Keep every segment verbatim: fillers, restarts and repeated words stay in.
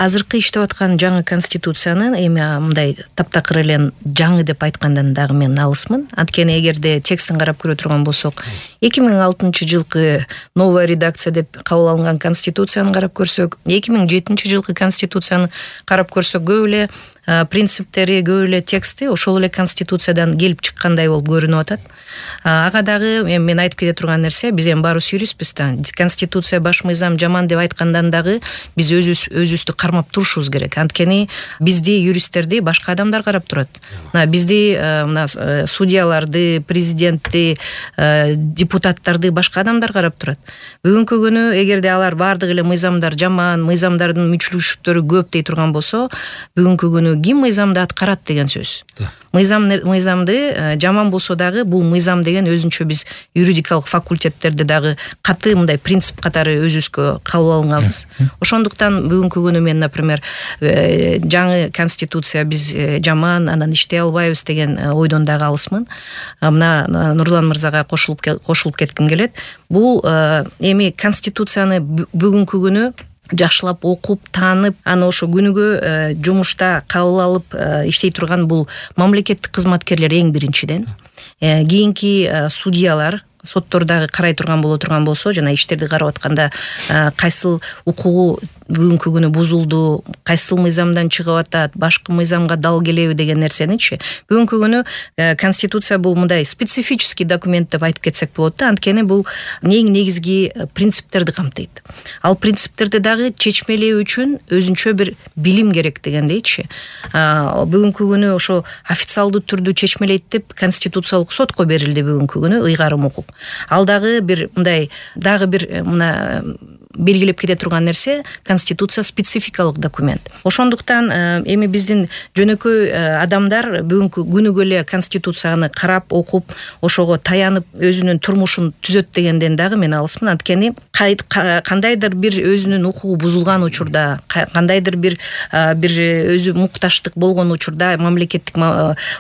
азыркы иштеп аткан жаңы конституцияны эми мындай таптакыр эле жаңы деп айткандан дагы мен алысмын. Анткени эгерде текстин карап көрө турган болсок, эки миң алтынчы жылкы новая редакция деп кабыл алынган конституцияны карап көрсөк, эки миң жетинчи жылкы конституцияны карап көрсөк, көп эле принциптери, көп эле тексти ошол эле конституциядан келип чыккандай болуп көрүнүп атат. Ага дагы мен айтып кете турган нерсе, биз эми баарыбыз юристпиз да. Конституция баш мыйзам жаман деп айткандан дагы биз өзүбүз өзүбүздү кармап турушубуз керек. Анткени бизди юристтерди башка адамдар карап турат. Мына бизди мына судьяларды, президентти, депутаттарды башка адамдар карап турат. Бүгүнкү күнү эгерде алар баардык эле мыйзамдар жаман, мыйзамдардын мүчүлүштүктөрү көп дей турган болсо, бүгүнкү күнү ким мыйзамды аткарат деген сөз. Мыйзам мыйзамды жаман болсо дагы бул мыйзам деген өзүнчө биз юридикалык факультеттерде дагы каты мындай принцип катары өзүбүзгө кабыл алганбыз. Ошондуктан бүгүнкү күнү мен, например, жаңы конституция биз жаман, анан иштей албайбыз деген ойдон дагы алысмын. Мына Нурлан мырзага кошулуп кошулуп кетким келет. Бул эми конституцияны бүгүнкү күнү жакшылап окуп, таанып, аны ошо күнүгө жумушта кабыл алып иштей турган бул мамлекеттик кызматкерлер эң биринчиден. Кийинки судьялар, соттордагы карай турган боло турган болсо, жана иштерди карап атканда кайсыл укугу бүгүнкү күнү бузулду, кайсыл мыйзамдан чыгып атат, башка мыйзамга дал келеби деген нерсеничи. Бүгүнкү күнү конституция бул мындай специфический документ деп айтып кетсек болот да, анткени бул эң негизги принциптерди камтыйт. Ал принциптерди дагы чечмелөө үчүн өзүнчө бир билим керек дегендейчи. Бүгүнкү күнү ошо официалдуу түрдө чечмелейт деп конституциялык сотко берилди бүгүнкү күнү ыйгарым укук. Ал дагы бир мындай дагы бир мына белгилеп кете турган нерсе, конституция спецификалык документ. Ошондуктан эми биздин жөнөкөй адамдар бүгүнкү күнүгө эле конституцияны карап, окуп, ошого таянып өзүнүн турмушун түзөт дегенден дагы мен алысмын. Анткени кандайдыр бир өзүнүн укугу бузулган учурда, кандайдыр бир бир өзү мукташтык болгон учурда, мамлекеттик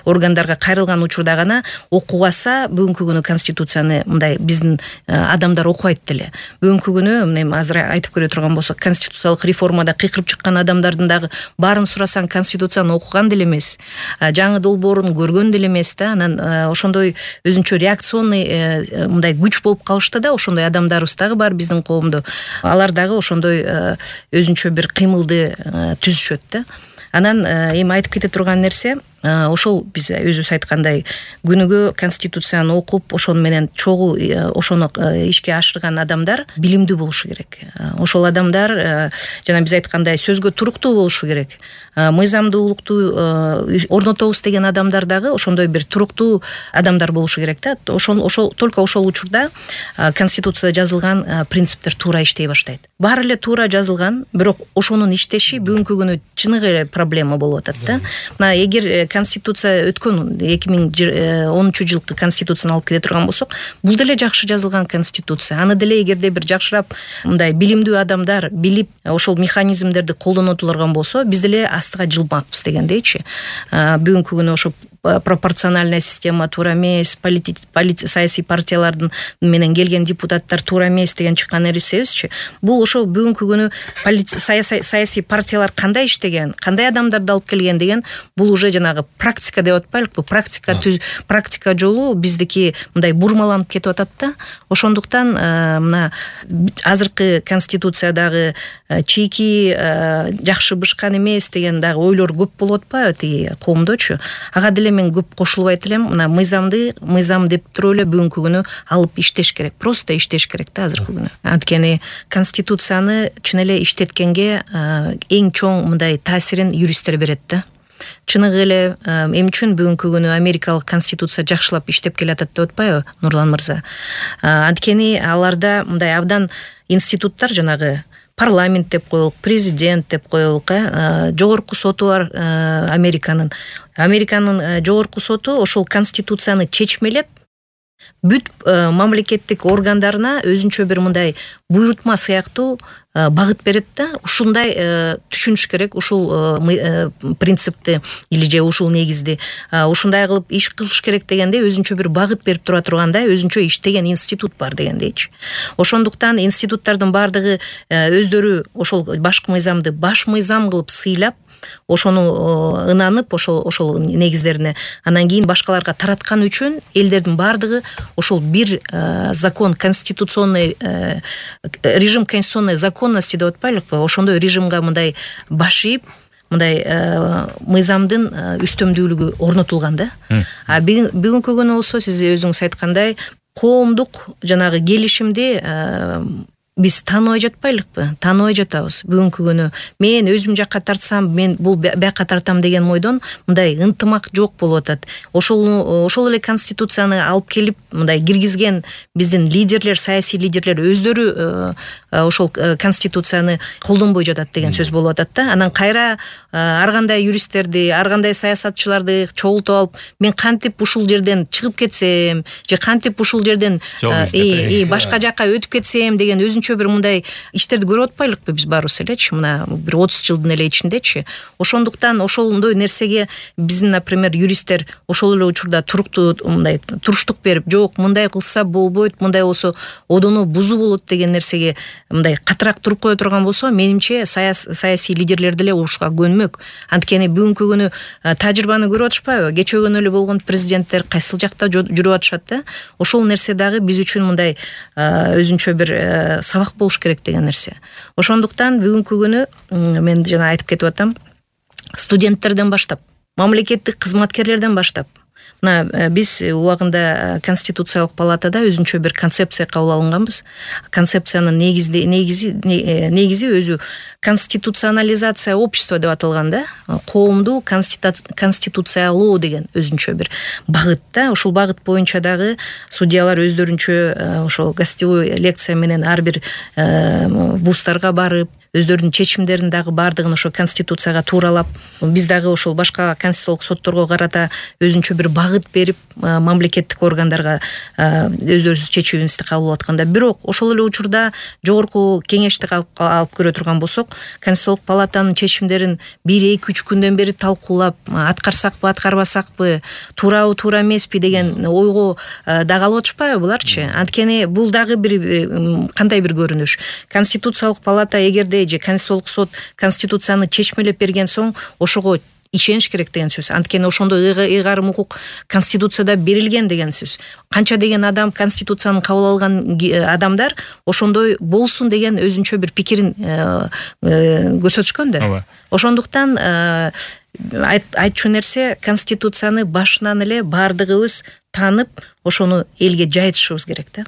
органдарга кайрылган учурда гана окууга аса бүгүнкү күнү конституцияны мындай биздин адамдар окубайт деле. Бүгүнкү күнү азыр айтып көрө турган болсок, конституциялык реформада кыйкырып чыккан адамдардын дагы баарын сурасаң конституцияны окуган деле эмес, жаңы долбоорун көргөн деле эмес да. Анан ошондой өзүнчө реакционный мындай күч болуп калышты да, ошондой адамдарыбыз дагы бар биздин коомдо. Алар дагы ошондой өзүнчө бир кыймылды түзүшөт да. Анан эми айтып кете турган нерсе, ошол биз өзүбүз айткандай күнүгө конституцияны окуп, ошону менен чогуу ошону ишке ашырган адамдар билимдүү болушу керек. Ошол адамдар жана биз айткандай сөзгө туруктуу болушу керек. Мыйзамдуулукту орнотобуз деген адамдар дагы ошондой бир туруктуу адамдар болушу керек да. Ошол ошол только ошол учурда конституцияда жазылган принциптер туура иштей баштайт. Баары эле туура жазылган, бирок ошонун иштеши бүгүнкү күнү чыныгы эле проблема болуп атат да. Мына эгер конституция өткөн эки миң онунчу жылкы конституцияны алып кете турган болсок, бул деле жакшы жазылган конституция. Аны деле эгерде бир жакшырап мындай билимдүү адамдар билип, ошол механизмдерди колдоно турган болсо, биз деле астыга жылмакпыз дегендейчи. Бүгүнкү күнү ошо пропорциональная система туура эмес, саясий партиялардын менен келген депутаттар туура эмес деген чыккан нерсебизчи. Бул ошо бүгүнкү күнү саясий партиялар кандай иштеген, кандай адамдарды алып келген деген, бул уже жанагы практика деп атпайлыкпы, практика түз практика жолу биздики мындай бурмаланып кетип атат да. Ошондуктан мына азыркы конституциядагы чийки жакшы бышкан эмес деген дагы ойлор көп болуп атпайбы тиги коомдочу. Ага деле мен көп кошулбайт элем. Мына мыйзамды мыйзам деп туруп эле бүгүнкү күнү алып иштеш керек, просто иштеш керек да азыркы күнү. Анткени конституцияны чын эле иштеткенге эң чоң мындай таасирин юристтер берет да. Чыныгы эле эмне үчүн бүгүнкү күнү америкалык конституция жакшылап иштеп келатат деп атпайбы Нурлан мырза? Анткени аларда мындай абдан институттар, жанагы парламент деп коелук, президент деп коелук, жогорку соту бар Американын. Американын жогорку соту ошол конституцияны чечмелеп, бүт мамлекеттик органдарына өзүнчө бир мындай буйрутма сыяктуу багыт берет да, ушундай түшүнүш керек, ушул принципти или же ушул негизди ушундай кылып иш кылыш керек дегенде өзүнчө бир багыт берип тура тургандай өзүнчө иштеген институт бар дегендейчи. Ошондуктан институттардын баардыгы өздөрү ошол башкы мыйзамды баш мыйзам кылып сыйлап, ошону ынанып, ошол ошол негиздерине анан кийин башкаларга тараткан үчүн элдердин баардыгы ошол бир закон, конституционный режим, конституционной законности деп атпайлыкпы, ошондой режимге мындай баш ийип, мындай мыйзамдын үстөмдүүлүгү орнотулган да. А бүгүнкү күнү болсо сиз өзүңүз айткандай коомдук жанагы келишимди биз тааныбай жатпайлыкпы? Тааныбай жатабыз. Бүгүнкү күнү мен өзүм жакка тартсам, мен бул бияка тартам деген мойдон мындай ынтымак жок болуп атат. Ошол ошол эле конституцияны алып келип мындай киргизген биздин лидерлер, саясий лидерлер өздөрү ошол конституцияны колдонбой жатат деген сөз болуп атат да. Анан кайра ар кандай юристтерди, ар кандай саясатчыларды чогултуп алып, мен кантип ушул жерден чыгып кетсем, же кантип ушул жерден башка жакка өтүп кетсем деген өзүнчө бир мындай иштерди көрүп атпайлыкпы биз баарыбыз элечи, мына бир отуз жылдын эле ичиндечи. Ошондуктан ошондой нерсеге биздин, например, юристтер ошол эле учурда туруктуу мындай туруштук берип, жок, мындай кылса болбойт, мындай болсо одону бузуу болот деген нерсеге мындай катыраак туруп кое турган болсо, менимче саясий лидерлер деле ушуга көнмөк. Анткени бүгүнкү күнү тажрыйбаны көрүп атышпайбы? Кечөгөн эле болгон президенттер кайсыл жакта жүрүп атышат да. Ошол нерсе дагы биз үчүн мындай өзүнчө бир сабак болуш керек деген нерсе. Ошондуктан бүгүнкү күнү мен жана айтып кетип атам, студенттерден баштап, мамлекеттик кызматкерлерден баштап, мына биз убагында Конституциялык палатада өзүнчө бир концепция кабыл алганбыз. Концепциянын негизи негизи негизи өзү конституционализация общества деп аталган да. Коомду конституциялоо деген өзүнчө бир багыт да. Ушул багыт боюнча дагы судьялар өздөрүнчө ошо гостевой лекция менен ар бир вуздарга барып, өздөрүнүн чечимдерин дагы баардыгын ошо конституцияга тууралап, биз дагы ошол башка конституциялык сотторго карата өзүнчө бир багыт берип, мамлекеттик органдарга өздөрүбүз чечимибизди кабыл атканда, бирок ошол эле учурда жогорку кеңешти алып көрө турган болсок, Конституциялык палатанын чечимдерин бир эки үч күндөн бери талкуулап, аткарсакпы, аткарбасакпы, туурабы, туура эмеспи деген ойго дагы алып атышпайбы буларчы? Анткени бул дагы бир кандай бир көрүнүш. Конституциялык палата эгерде же Конституциялык сот конституцияны чечмелеп берген соң ошого ишениш керек деген сөз. Анткени ошондой ыйгарым укук конституцияда берилген деген сөз. Канча деген адам конституцияны кабыл алган адамдар ошондой болсун деген өзүнчө бир пикирин көрсөтүшкөн да. Ошондуктан айтчу нерсе, конституцияны башынан эле баардыгыбыз таанып, ошону элге жайытышыбыз керек да.